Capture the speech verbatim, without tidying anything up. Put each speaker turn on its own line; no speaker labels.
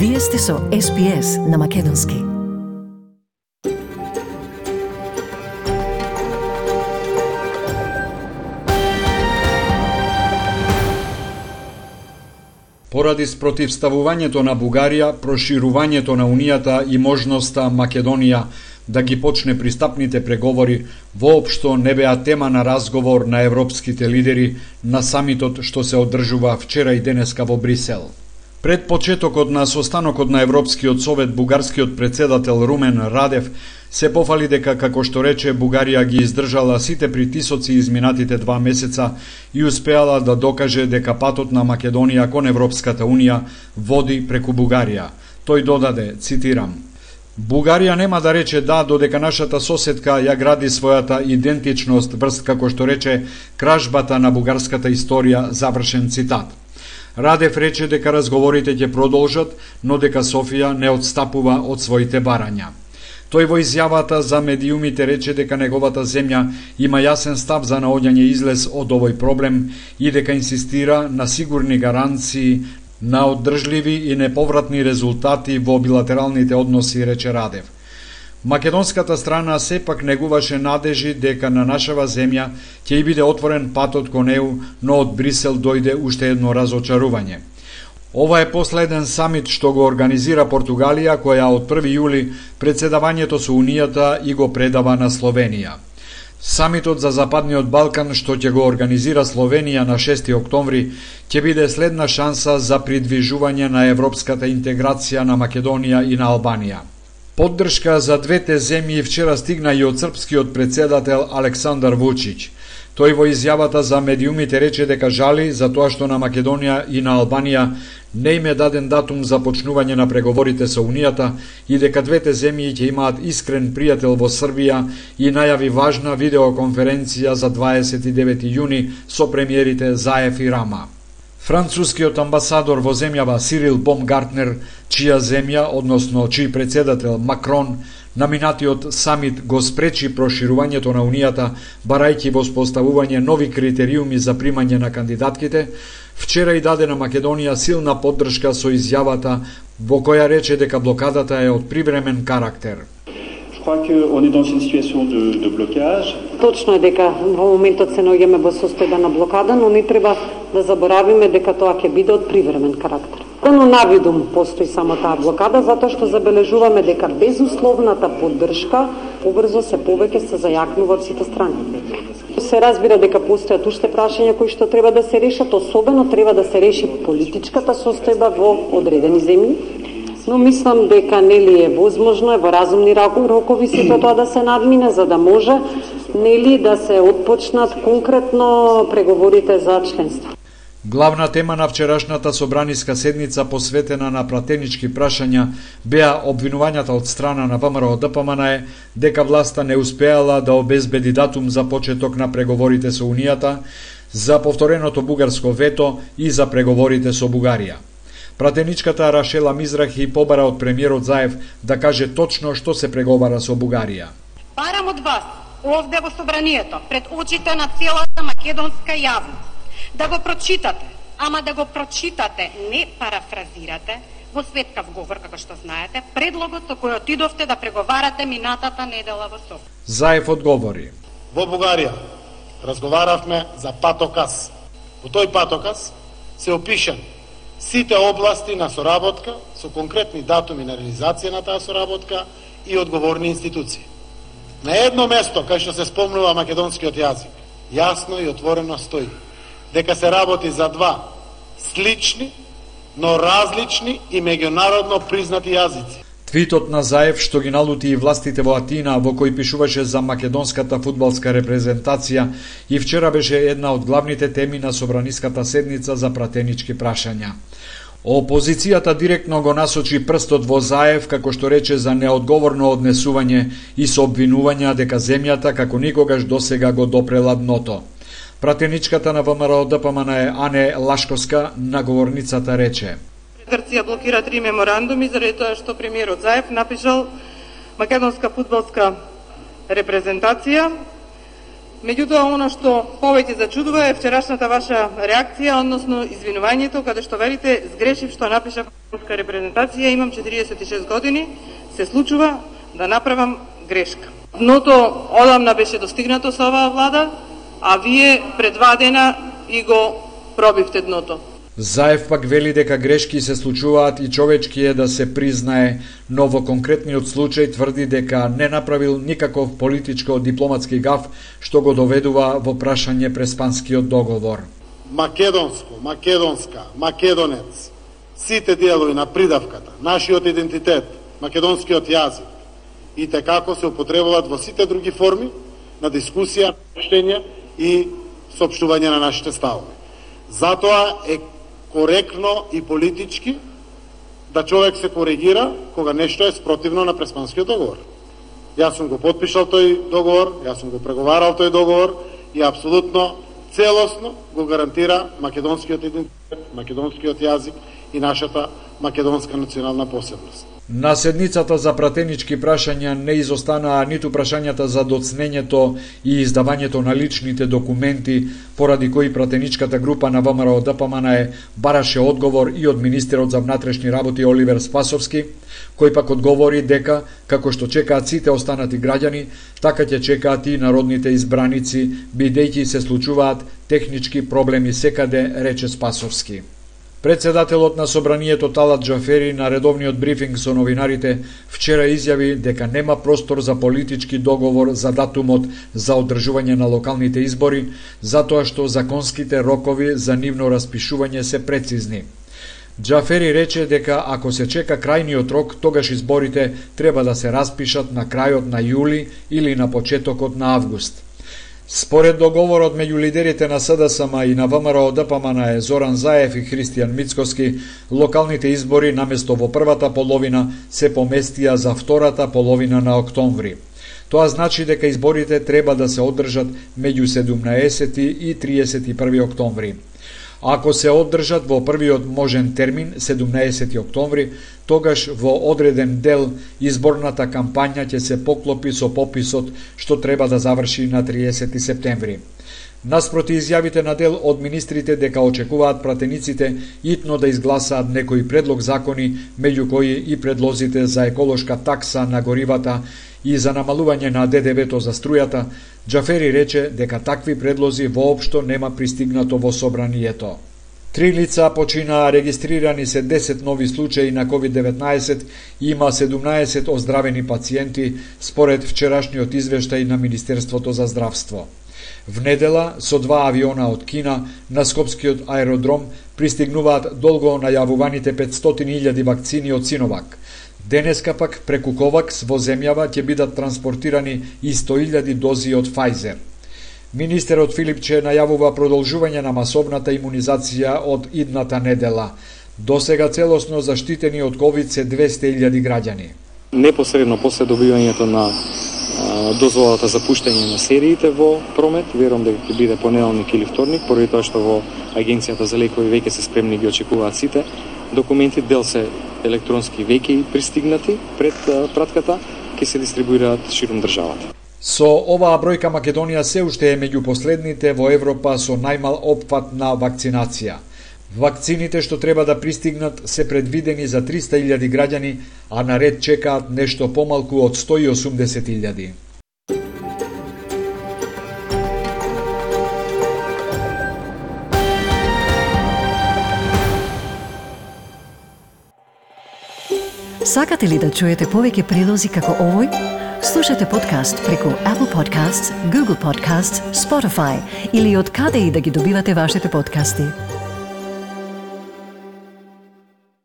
Вие сте со Ес Би Ес на Македонски.
Поради спротивставувањето на Бугарија, проширувањето на Унијата и можноста Македонија да ги почне пристапните преговори воопшто не беа тема на разговор на европските лидери на самитот што се одржува вчера и денеска во Брисел. Пред почетокот на состанокот на Европскиот совет, бугарскиот председател Румен Радев се пофали дека, како што рече, Бугарија ги издржала сите притисоци изминатите два месеца и успеала да докаже дека патот на Македонија кон Европската Унија води преку Бугарија. Тој додаде, цитирам: Бугарија нема да рече да додека нашата соседка ја гради својата идентичност врз, како што рече, кражбата на бугарската историја, завршен цитат. Радев рече дека разговорите ќе продолжат, но дека Софија не отстапува од своите барања. Тој во изјавата за медиумите рече дека неговата земја има јасен став за наоѓање излез од овој проблем и дека инсистира на сигурни гаранции на оддржливи и неповратни резултати во билатералните односи, рече Радев. Македонската страна сепак негуваше надежи дека на нашава земја ќе и биде отворен патот кон Е У, но од Брисел дојде уште едно разочарување. Ова е последен самит што го организира Португалија, која од први јули председавањето со Унијата и го предава на Словенија. Самитот за Западниот Балкан што ќе го организира Словенија на шести октомври ќе биде следна шанса за придвижување на европската интеграција на Македонија и на Албанија. Поддршка за двете земји вчера стигна и од српскиот председател Александар Вучич. Тој во изјавата за медиумите рече дека жали за тоа што на Македонија и на Албанија не им е даден датум за почнување на преговорите со Унијата и дека двете земји ќе имаат искрен пријател во Србија и најави важна видеоконференција за дваесет и девети јуни со премиерите Заев и Рама. Францускиот амбасадор во земјава Сирил Бомгартнер, чија земја, односно чиј председател Макрон, на минатиот самит го спречи проширувањето на Унијата, барајќи воспоставување нови критериуми за примање на кандидатките, вчера и даде на Македонија силна поддршка со изјавата во која рече дека блокадата е од привремен карактер.
Точно е дека во моментот се наоѓаме во состојба на блокада, но не треба да заборавиме дека тоа ќе биде од привремен карактер. Но навидум постои само таа блокада, затоа што забележуваме дека безусловната поддршка побрзо се повеќе се зајакнува од сите страни. Се разбира дека постојат уште прашања кои што треба да се решат, особено треба да се реши политичката состојба во одредени земји. Но мислам дека нели е возможно, е во разумни рокови сето тоа да се надмине, за да може нели да се отпочнат конкретно преговорите за членство.
Главна тема на вчерашната собраниска седница посветена на пратенички прашања беа обвинувањата од страна на Вэ Ем Ер О Д П М Н Е дека власта не успеала да обезбеди датум за почеток на преговорите со Унијата, за повтореното бугарско вето и за преговорите со Бугарија. Пратеничката Рашела Мизрахи побара од премиерот Заев да каже точно што се преговара со Бугарија.
Барам од вас, овде во собранието, пред очите на целата македонска јавност, да го прочитате, ама да го прочитате, не парафразирате, во светкав говор, како што знаете, предлогот со кој отидовте да преговарате минатата недела во Софија.
Заев одговори:
Во Бугарија разговаравме за патоказ. Во тој патоказ се опишан сите области на соработка со конкретни датуми на реализација на таа соработка и одговорни институции. На едно место кај што се спомнува македонскиот јазик, јасно и отворено стои дека се работи за два слични, но различни и меѓународно признати јазици.
Твитот на Заев што ги налути и властите во Атина, во кој пишуваше за македонската фудбалска репрезентација, и вчера беше една од главните теми на собраниската седница за пратенички прашања. Опозицијата директно го насочи прстот во Заев, како што рече, за неодговорно однесување и со обвинувања дека земјата како никогаш досега го допрела дното. Пратеничката на Вэ Ем Ер О Д П М Н Е Ане Лашковска на говорницата рече:
Грција блокира три меморандуми заради тоа што премиерот Заев напишал македонска фудбалска репрезентација. Меѓутоа, оно што повеќе зачудува е вчерашната ваша реакција, односно извинувањето, каде што велите: сгрешив што напишав македонска репрезентација, имам четириесет и шест години, се случува да направам грешка. Дното одамна беше достигнато со оваа влада, а вие пред два дена и го пробивте дното.
Заев пак вели дека грешки се случуваат и човечки е да се признае, но во конкретниот случај тврди дека не направил никаков политичко-дипломатски гаф што го доведува во прашање преспанскиот договор.
Македонско, македонска, македонец, сите делови на придавката, нашиот идентитет, македонскиот јазик, и како се употребуваат во сите други форми на дискусија, обштење и соопштување на нашите ставови. Затоа е коректно и политички да човек се коригира кога нешто е спротивно на преспанскиот договор. Јас сум го потпишал тој договор, јас сум го преговарал тој договор и апсолутно целосно го гарантира македонскиот идентитет, македонскиот јазик и нашата македонска национална посебност.
На седницата за пратенички прашања не изостанаа ниту прашањата за доцнењето и издавањето на личните документи, поради кои пратеничката група на ВМРО Д П М Н Е бараше одговор и од министерот за внатрешни работи Оливер Спасовски, кој пак одговори дека, како што чекаат сите останати граѓани, така ќе чекаат и народните избраници, бидејќи се случуваат технички проблеми секаде, рече Спасовски. Председателот на собранието Талат Џафери на редовниот брифинг со новинарите вчера изјави дека нема простор за политички договор за датумот за одржување на локалните избори, затоа што законските рокови за нивно распишување се прецизни. Џафери рече дека ако се чека крајниот рок, тогаш изборите треба да се распишат на крајот на јули или на почетокот на август. Според договорот меѓу лидерите на С Д С М и на ВМРО Д П М Н Е Зоран Заев и Христијан Мицкоски, локалните избори наместо во првата половина се поместија за втората половина на октомври. Тоа значи дека изборите треба да се одржат меѓу седумнаесети и триесет и први октомври. Ако се одржат во првиот можен термин, седумнаесети октомври, тогаш во одреден дел изборната кампања ќе се поклопи со пописот што треба да заврши на триесети септември. Наспроти изјавите на дел од министрите дека очекуваат пратениците итно да изгласаат некои предлог закони, меѓу кои и предлозите за еколошка такса на горивата и за намалување на Д Д В-то за струјата, Џафери рече дека такви предлози воопшто нема пристигнато во собранието. Три лица починаа, регистрирани се десет нови случаи на ковид деветнаесет и има седумнаесет оздравени пациенти, според вчерашниот извештај на Министерството за здравство. Внедела, со два авиона од Кина, на Скопскиот аеродром пристигнуваат долго најавуваните петстотини илјади вакцини од Синовак. Денеска пак преку Ковакс во земјава ќе бидат транспортирани и сто илјади дози од Фајзер. Министерот Филипче најавува продолжување на масовната имунизација од идната недела. Досега целосно заштитени од ковид се двесте илјади граѓани.
Непосредно после добивањето на а, дозволата за пуштање на сериите во промет, верувам дека ќе биде понеделник или вторник, поради тоа што во Агенцијата за лекови веќе се спремни ги очекуваат сите документи, дел се електронски веќе пристигнати пред а, пратката, ќе се дистрибуираат широм државата.
Со оваа бројка Македонија се уште е меѓу последните во Европа со најмал опфат на вакцинација. Вакцините што треба да пристигнат се предвидени за триста илјади граѓани, а на ред чекаат нешто помалку од сто и осумдесет илјади.
Сакате ли да чуете повеќе прилози како овој? Слушате подкаст преку Apple Podcasts, Google Podcasts, Spotify или од каде и да ги добивате вашите подкасти.